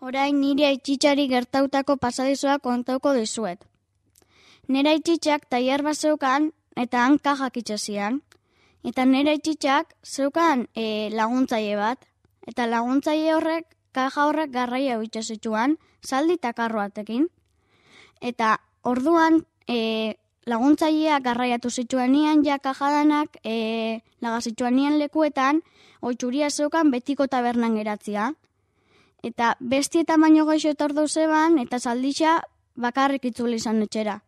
Orain nire aitzitzari gertautako pasadizoa kontauko dizuet. Nire aitzitzak tailer bat zeukan eta han kajak itxasian. Eta nire aitzitzak zeukan laguntzaile bat. Eta laguntzaile horrek, kaja horrek garraia itxasitzuan, zaldi eta karroatekin. Eta orduan laguntzailea garraiatu zituanian ja kajadanak lagazituanian lekuetan, oitzuria zeukan betiko tabernan geratzia. Eta besti eta baino gaixo etordu zeban, eta zalditza bakarrik itzuli izan etxera.